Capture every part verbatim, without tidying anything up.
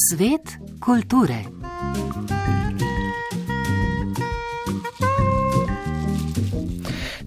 Svet kulture.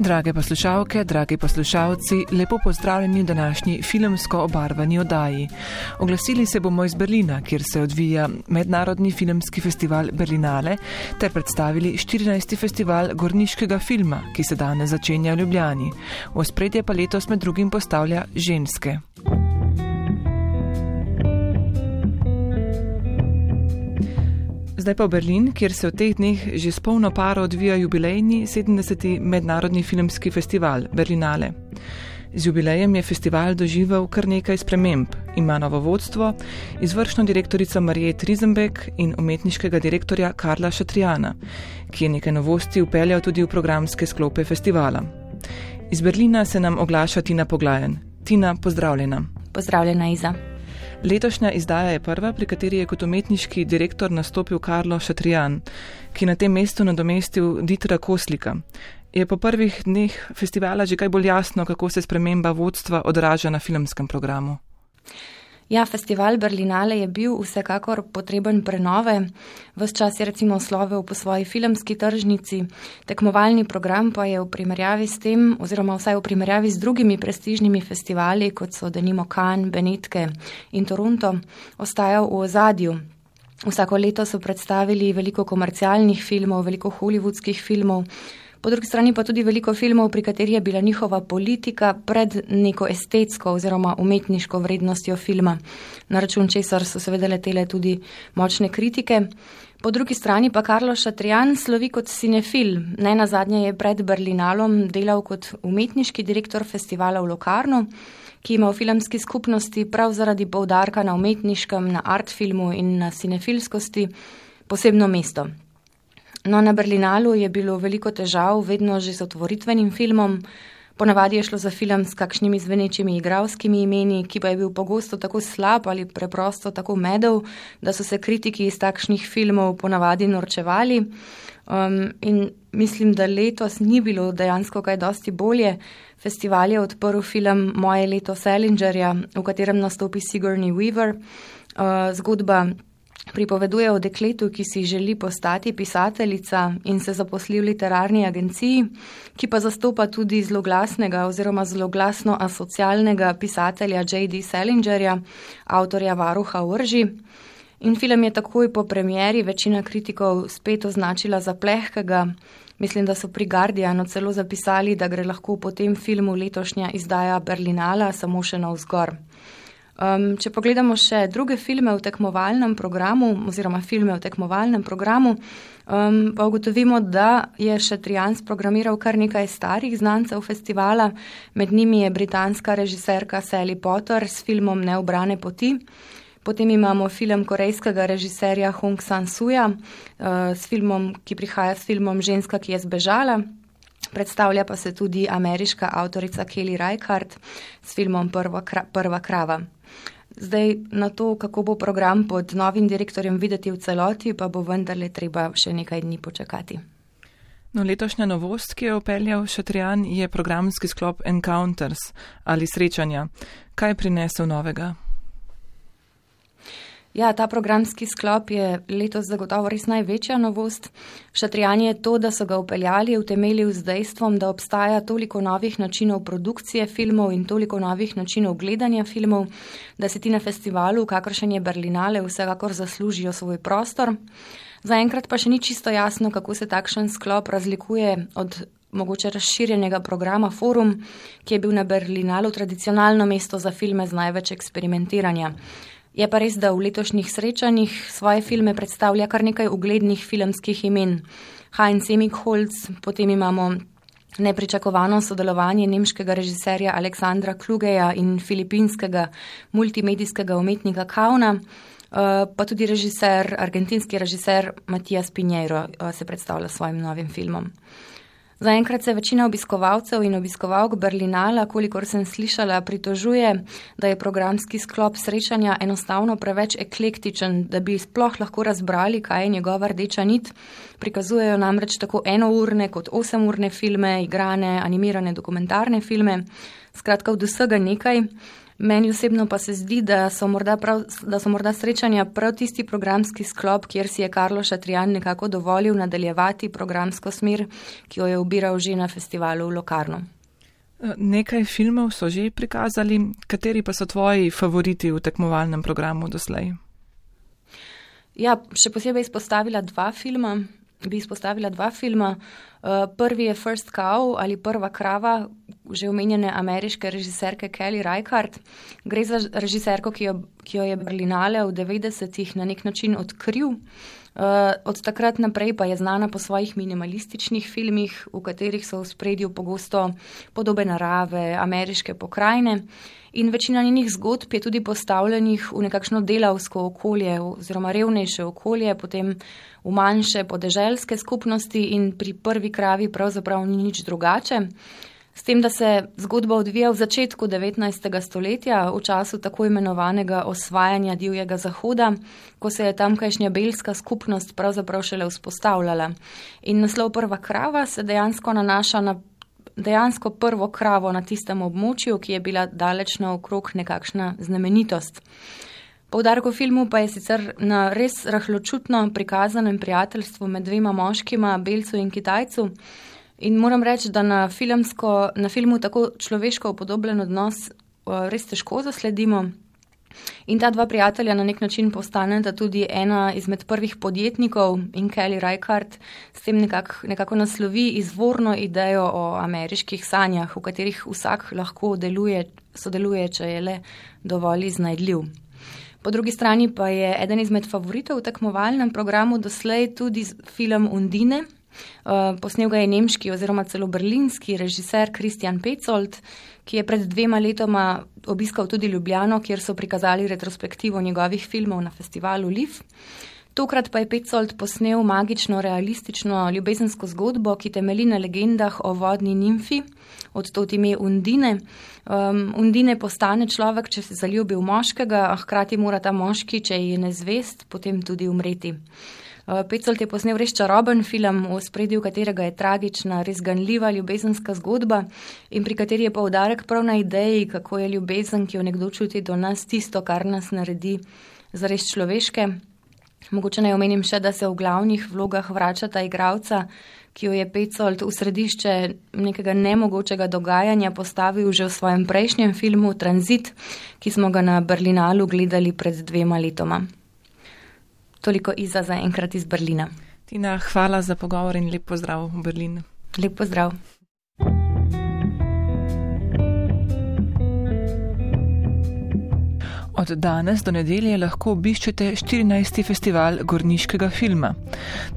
Drage poslušalke, dragi poslušalci, lepo pozdravljeni v današnji filmsko obarvani oddaji. Oglasili se bomo iz Berlina, kjer se odvija Mednarodni filmski festival Berlinale, ter predstavili štirinajsti festival gorniškega filma, ki se danes začenja v Ljubljani. V ospredje pa letos med drugim postavlja ženske. Zdaj pa v Berlin, kjer se v teh dneh že s polno paro odvija jubilejni sedemdeseti Mednarodni filmski festival Berlinale. Z jubilejem je festival doživel kar nekaj sprememb. Ima novo vodstvo, izvršno direktorico Mariet Risenbeck in umetniškega direktorja Karla Šatrijana, ki je nekaj novosti vpeljal tudi v programske sklope festivala. Iz Berlina se nam oglaša Tina Poglajen. Tina, pozdravljena. Pozdravljena, Iza. Letošnja izdaja je prva, pri kateri je kot umetniški direktor nastopil Karlo Šatrijan, ki na tem mestu nadomestil Dietra Koslika. Je po prvih dneh festivala že kaj bolj jasno, kako se sprememba vodstva odraža na filmskem programu? Ja, festival Berlinale je bil vsekakor potreben prenove. Ves čas je recimo slovel po svoji filmski tržnici, tekmovalni program pa je v primerjavi s tem, oziroma vsaj v primerjavi z drugimi prestižnimi festivali, kot so denimo Cannes, Benetke in Toronto, ostajal v ozadju. Vsako leto so predstavili veliko komercialnih filmov, veliko hollywoodskih filmov, po drugi strani pa tudi veliko filmov, pri katerih je bila njihova politika pred neko estetsko oziroma umetniško vrednostjo filma, na račun česar so seveda letele tudi močne kritike. Po drugi strani pa Karlo Šatrijan slovi kot cinefil. Ne nazadnje je pred Berlinalom delal kot umetniški direktor festivala v Locarnu, ki ima v filmski skupnosti prav zaradi poudarka na umetniškem, na art filmu in na cinefilskosti posebno mesto. No, na Berlinalu je bilo veliko težav, vedno že z otvoritvenim filmom. Ponavadi je šlo za film s kakšnimi zvenečimi igralskimi imeni, ki pa je bil pogosto tako slab ali preprosto tako medel, da so se kritiki iz takšnih filmov ponavadi norčevali. Um, in mislim, da letos ni bilo dejansko kaj dosti bolje. Festival je odprl film Moje leto Salingerja, v katerem nastopi Sigourney Weaver. Uh, zgodba pripoveduje o dekletu, ki si želi postati pisateljica in se zaposli v literarni agenciji, ki pa zastopa tudi zloglasnega oziroma zloglasno asocialnega pisatelja J D Salingerja, avtorja Varuha vrži. In film je takoj po premieri večina kritikov spet označila za plehkega. Mislim, da so pri Guardianu celo zapisali, da gre lahko po tem filmu letošnja izdaja Berlinala samo še navzgor. Um, če pogledamo še druge filme v tekmovalnem programu oziroma filme v tekmovalnem programu, um, pa ugotovimo, da je Šatrijan sprogramiral kar nekaj starih znancev festivala. Med njimi je britanska režiserka Sally Potter s filmom Neubrane poti. Potem imamo film korejskega režiserja Hong Sang-suja uh, s filmom, ki prihaja s filmom Ženska, ki je zbežala. Predstavlja pa se tudi ameriška avtorica Kelly Reichardt s filmom Prva, kra, prva krava. Zdaj na to, kako bo program pod novim direktorjem videti v celoti, pa bo vendarle treba še nekaj dni počakati. No, letošnja novost, ki je vpeljal Šatrijan, je programski sklop Encounters ali srečanja. Kaj je prinesel novega? Ja, ta programski sklop je letos zagotovo res največja novost. Šatrijan je to, da so ga vpeljali, utemeljil z dejstvom, da obstaja toliko novih načinov produkcije filmov in toliko novih načinov gledanja filmov, da se ti na festivalu, kakršen je Berlinale, vsekakor zaslužijo svoj prostor. Zaenkrat pa še ni čisto jasno, kako se takšen sklop razlikuje od mogoče razširjenega programa Forum, ki je bil na Berlinalu tradicionalno mesto za filme z največ eksperimentiranja. Je pa res, da v letošnjih srečanjih svoje filme predstavlja kar nekaj uglednih filmskih imen. Heinz Emigholz, potem imamo nepričakovano sodelovanje nemškega režiserja Aleksandra Klugeja in filipinskega multimedijskega umetnika Kauna, pa tudi režiser, argentinski režiser Matías Piñeiro se predstavlja s svojim novim filmom. Zaenkrat se večina obiskovalcev in obiskovalk Berlinala, kolikor sem slišala, pritožuje, da je programski sklop srečanja enostavno preveč eklektičen, da bi sploh lahko razbrali, kaj je njegova rdeča nit. Prikazujejo namreč tako enourne kot osemurne filme, igrane, animirane dokumentarne filme, skratka od vsega nekaj. Meni osebno pa se zdi, da so morda, prav, da so morda srečanja prav tisti programski sklop, kjer si je Karlo Šatrijan nekako dovolil nadaljevati programsko smer, ki jo je ubiral že na festivalu v Locarnu. Nekaj filmov so že prikazali, kateri pa so tvoji favoriti v tekmovalnem programu doslej? Ja, še posebej izpostavila dva filma. Bi izpostavila dva filma. Prvi je First Cow ali Prva krava, že omenjene ameriške režiserke Kelly Reichardt. Gre za režiserko, ki jo, ki jo je Berlinale v devetdesetih na nek način odkril. Od takrat naprej pa je znana po svojih minimalističnih filmih, v katerih so v spredju pogosto podobe narave, ameriške pokrajine. In večina njenih zgodb je tudi postavljenih v nekakšno delavsko okolje oziroma revnejše okolje, potem v manjše podeželske skupnosti in pri Prvi kravi pravzaprav ni nič drugače. S tem, da se zgodba odvija v začetku devetnajstega stoletja, v času tako imenovanega osvajanja divjega zahoda, ko se je tamkajšnja belska skupnost pravzaprav šele vzpostavljala. In naslov Prva krava se dejansko nanaša na dejansko prvo kravo na tistem območju, ki je bila daleč naokrog nekakšna znamenitost. Poudarek v filmu pa je sicer na res rahločutno prikazanem prijateljstvu med dvema moškima, belcu in Kitajcu. In moram reči, da na, filmsko, na filmu tako človeško upodobljen odnos res težko zasledimo. In ta dva prijatelja na nek način postaneta tudi ena izmed prvih podjetnikov in Kelly Reichardt s tem nekako, nekako naslovi izvorno idejo o ameriških sanjah, v katerih vsak lahko deluje, sodeluje, če je le dovolj iznajdljiv. Po drugi strani pa je eden izmed favoritov v tekmovalnem programu doslej tudi film Undine. Posnel ga je nemški oziroma celo berlinski režiser Christian Petzold, ki je pred dvema letoma obiskal tudi Ljubljano, kjer so prikazali retrospektivo njegovih filmov na festivalu L I F. Tokrat pa je Petzold posnel magično, realistično ljubezensko zgodbo, ki temelji na legendah o vodni nimfi, od tod ime Undine. Um, Undine postane človek, če se zaljubi v moškega, a hkrati mora ta moški, če je nezvest, potem tudi umreti. Petzold je posnel res čaroben film, v ospredju katerega je tragična, res ganljiva ljubezenska zgodba in pri kateri je poudarek prav na ideji, kako je ljubezen, ki jo nekdo čuti do nas, tisto, kar nas naredi zares človeške. Mogoče naj omenim še, da se v glavnih vlogah vračata igralca, ki jo je Petzold v središče nekega nemogočega dogajanja postavil že v svojem prejšnjem filmu Tranzit, ki smo ga na Berlinalu gledali pred dvema letoma. Toliko Iza za enkrat iz Berlina. Tina, hvala za pogovor in lep pozdrav v Berlin. Lep pozdrav. Od danes do nedelje lahko obiščete štirinajsti festival gorniškega filma.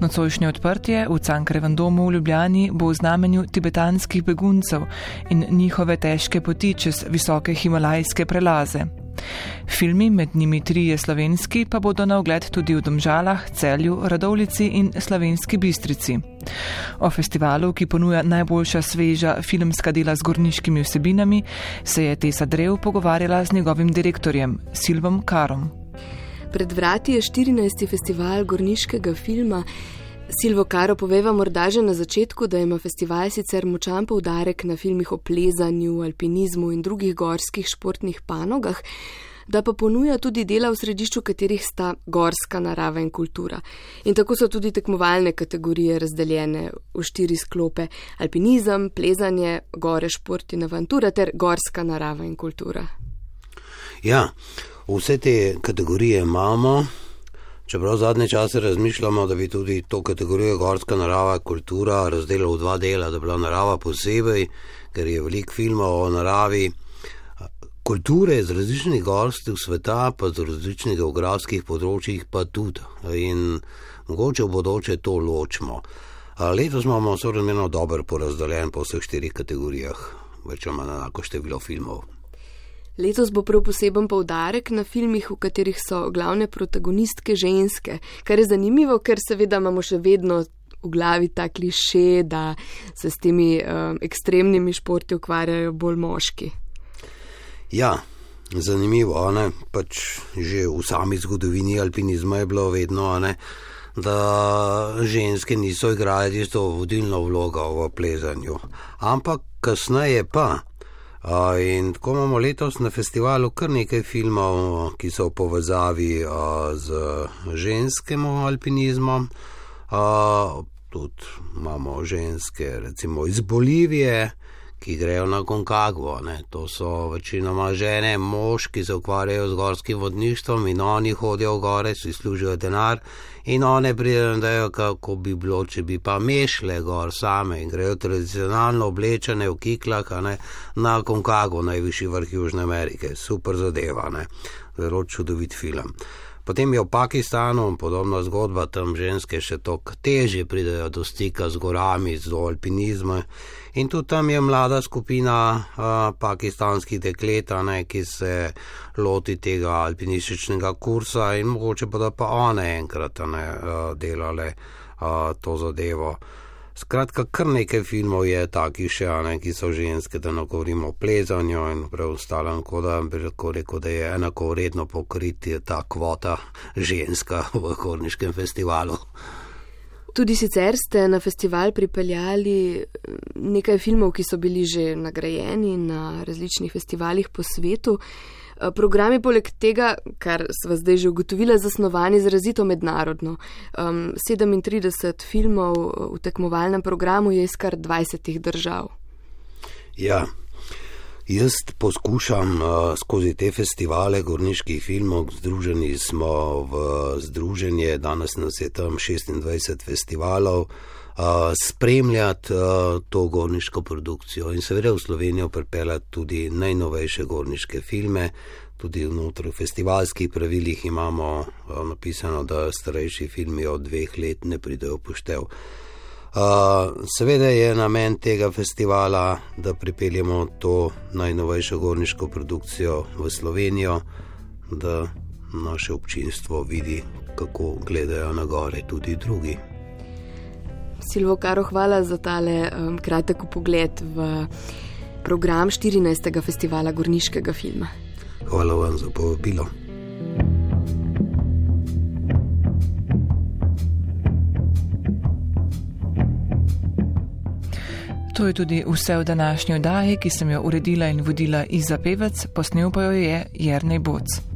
Nocojšnje odprtje v Cankarjevem domu v Ljubljani bo v znamenju tibetanskih beguncev in njihove težke poti čez visoke himalajske prelaze. Filmi, med njimi trije slovenski, pa bodo na ogled tudi v Domžalah, Celju, Radovljici in Slovenski Bistrici. O festivalu, ki ponuja najboljša sveža filmska dela z gorniškimi vsebinami, se je Tesa Drev pogovarjala z njegovim direktorjem, Silvom Karom. Pred vrati je štirinajsti festival gorniškega filma. Silvo Karo, poveva morda že na začetku, da ima festival sicer močan poudarek na filmih o plezanju, alpinizmu in drugih gorskih športnih panogah, da pa ponuja tudi dela, v središču katerih sta gorska narava in kultura. In tako so tudi tekmovalne kategorije razdeljene v štiri sklope: alpinizem, plezanje, gore, šport in avantura ter gorska narava in kultura. Ja, vse te kategorije imamo. Čeprav zadnje čase razmišljamo, da bi tudi to kategorijo gorska narava, kultura razdelili v dva dela, da bi bila narava posebej, ker je veliko filmov o naravi, kulture z različnih gorskih sveta, pa z različnih geografskih področjih pa tudi. In mogoče v bodoče to ločimo. Letos imamo sorazmerno dobro porazdeljen po vseh štirih kategorijah, več ali manj enako število filmov. Letos bo prav poseben poudarek na filmih, v katerih so glavne protagonistke ženske, kar je zanimivo, ker seveda imamo še vedno po glavi ta kliše, da se s temi um, ekstremnimi športi ukvarjajo bolj moški. Ja, zanimivo, ne? Pač že v sami zgodovini alpinizma je bilo vedno, ne? Da ženske niso igrali tisto vodilno vlogo v plezanju, ampak kasneje pa. In tako imamo letos na festivalu kar nekaj filmov, ki so v povezavi z ženskim alpinizmom. Tudi imamo ženske recimo iz Bolivije, ki grejo na Concagua, ne. To so večinoma žene, mož, ki se ukvarjajo z gorskim vodništvom in oni hodijo v gore, si služijo denar in one pridejo, kako bi bilo, če bi pa mešle gor same in grejo tradicionalno oblečene v kiklah, ne, na Concagua, najvišji vrh Južne Amerike. Super zadeva, ne. Zelo čudovit film. Potem je v Pakistanu podobna zgodba, tam ženske še toliko težje pridejo do stika z gorami, do alpinizma. In tudi tam je mlada skupina a, pakistanskih deklet, ne, ki se loti tega alpinističnega kursa in mogoče pa da pa one enkrat ne, a, delale a, to zadevo. Skratka, kar nekaj filmov je takih še, ne, ki so ženske, da ne govorimo o plezanju in preostalem, ko da bi lahko rekel, da je enako vredno pokriti ta kvota ženska v Gorniškem festivalu. Tudi sicer ste na festival pripeljali nekaj filmov, ki so bili že nagrajeni na različnih festivalih po svetu. Programi poleg tega, kar sva zdaj že ugotovila, zasnovani izrazito mednarodno. Um, sedemintrideset filmov v tekmovalnem programu je iz kar dvajsetih držav. Ja, jaz poskušam uh, skozi te festivale gorniških filmov, združeni smo v združenje, danes nas je tam šestindvajset festivalov, Uh, spremljati uh, to gorniško produkcijo in seveda v Slovenijo pripeljati tudi najnovejše gorniške filme. Tudi vnotri v festivalskih pravilih imamo uh, napisano, da starejši filmi od dveh let ne pridejo v poštev. Uh, seveda je namen tega festivala, da pripeljemo to najnovejšo gorniško produkcijo v Slovenijo, da naše občinstvo vidi, kako gledajo na gore tudi drugi. Silvo Karo, hvala za tale um, kratek pogled v program štirinajstega festivala gorniškega filma. Hvala vam za povabilo. To je tudi vse v današnji oddaji, ki sem jo uredila in vodila Iza Pevec, posnel pa jo je Jernej Boc.